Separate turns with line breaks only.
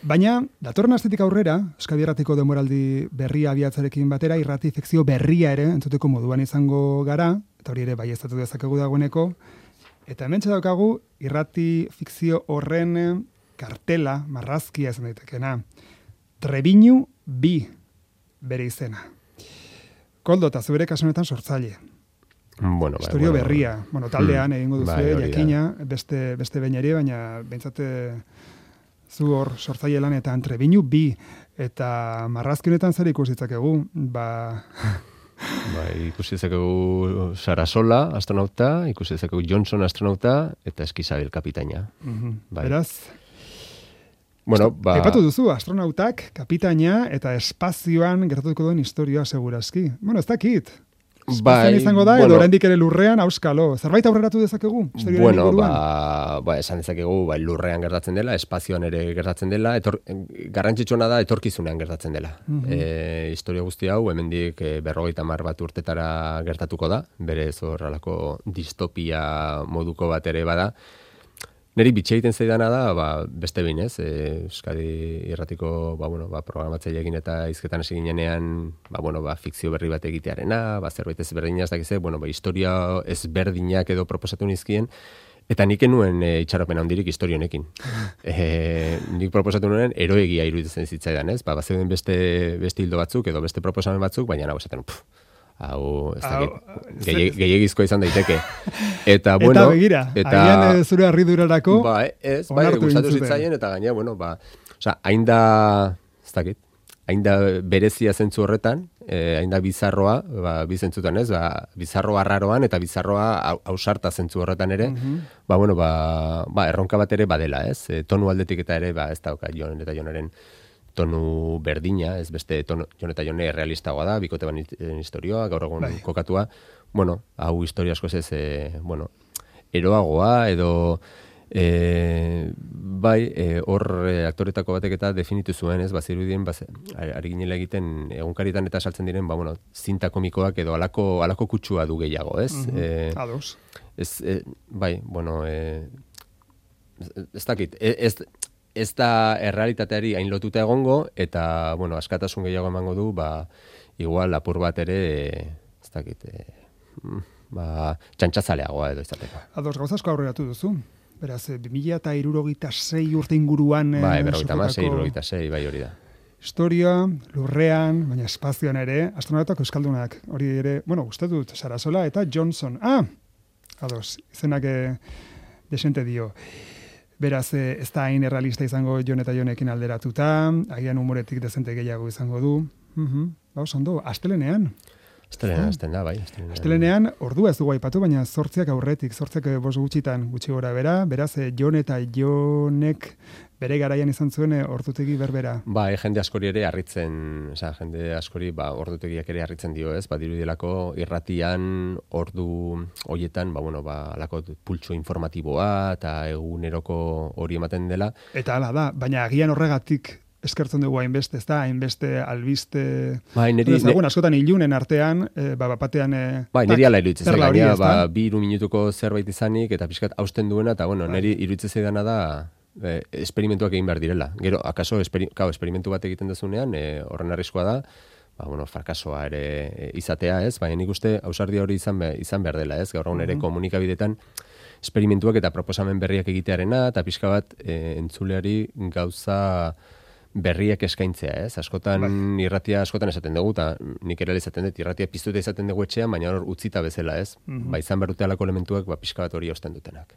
Baina, datorren astetik aurrera, Euskadi Irratiko denboraldi berria abiatzarekin batera, irrati fikzio berria ere entzuteko moduan izango gara, eta hori ere baieztatu dezakegu dagoeneko, eta hemen daukagu irrati fikzio horren kartela, marrazkia esan daitekena. Trebiñu bi bere izena. Koldo, eta zubere kasunetan sortzaile.
Bueno,
Historio berria. Taldean egingo duzu, jakina, beste behin ere, baina bentsate zu hor sortzaile lanetan Trebiñu bi, eta marrazki honetan zer ikusitzakegu,
ikusi dezakegu Sarasola, astronauta, ikusi dezakegu Johnson, astronauta, eta Eskizabel, kapitaina.
Beraz, aipatu duzu, astronautak, kapitaina, eta espazioan gertatuko duen historioa segurazki. Ez dakit. Espazioan izango da, edo oraindik ere lurrean, auskalo. Zerbait aurreratu dezakegu?
Esan dezakegu, lurrean gertatzen dela, espazioan ere gertatzen dela, garrantzitsuena da etorkizunean gertatzen dela. Historia guzti hau, hemendik 50 bat urtetara gertatuko da, berez horrelako distopia moduko bat ere bada. Neri bitxe egiten zaidana da, beste behin ez, Euskadi Irratiko programatzaileekin eta hizketan hasi ginenean, fikzio berri bat egitearena, zerbait ezberdina ez dakize, historia ezberdinak edo proposatu nizkien, eta nik enuen itxaropen handirik historia honekin. Nik proposatu nuen eroegia iruditzen zitzaidan, ez? Bazeuden beste hildo batzuk edo beste proposamen batzuk, baina esaten hau, ez dakit, gehiagizkoa izan daiteke. Eta
begira, agian zure harridurarako
gustatu zitzaien, eta gaina, hain da, ez dakit, hain da berezia zentzu horretan, hain da bizarroa, bizentzutan ez, bizarroa arraroan, eta bizarroa ausarta zentzu horretan ere, erronka bat ere badela, ez, tonu aldetik eta ere, ez dauka Jon eta Jonaren tonu berdina, ez beste Jon eta Jone realistagoa da, bikote ban historioa, gaur egun kokatua, hau historia askoz ez, eroagoa, edo hor aktoretako batek eta definitu zuen, ez, zirudien, ari ginela egiten, egunkaritan eta saltzen diren, zinta komikoak edo alako kutsua du gehiago, ez?
Ados.
Ez dakit, ez da errealitateari hain lotuta egongo, eta, askatasun gehiago emango du, igual apur bat ere, ez dakit, txantxazaleagoa edo izateko.
Ados, gauzasko aurreratu duzu. Beraz, 2066 urte inguruan...
56, hori da.
Historia, lurrean, baina espazioan ere, astronautak euskaldunak, hori ere, uste dut, Sarasola eta Johnson. Ados, izenak desente dio. Beraz, ez da hain errealista izango Jon eta Jonekin alderatuta, agian humoretik dezente gehiago izango du. Ondo, astelenean. Astelenean, ordua ez dugu aipatu, baina 8 aurretik, 8 5 gutxi gora bera, beraz, Jon eta Jonek bere garaian izan zuen ordutegi berbera.
Jende askori ere harritzen, jende askori ordutegiak ere harritzen dio, ez? Dirudielako irratian ordu hoietan, alako pultso informatiboa eta eguneroko hori ematen dela.
Eta hala da, baina agian horregatik eskertzen dugu hainbeste, ez da, hainbeste albiste... askotan ilunen artean, batean...
niri ala iruditzen zaigania, 2 minutuko zerbait izanik, eta pixkat hausten duena, eta niri iruditzen zaidana da, esperimentuak egin behar direla. Gero, akaso, esperimentu bat egiten dezunean, horren arriskoa da, frakasoa ere izatea, ez? Baina nik uste, ausardia hori izan behar dela, ez? Gaur egun ere komunikabidetan, esperimentuak eta proposamen berriak egitearena, eta pixka bat entzuleari gauza berriak eskaintzea, ez? Askotan irratia askotan esaten dugu, eta nik ere esaten dut, irratia piztuta izaten dugu etxean, baina hor utzita bezala, ez? Izan behar dute alako elementuak, pixka bat hori osten dutenak.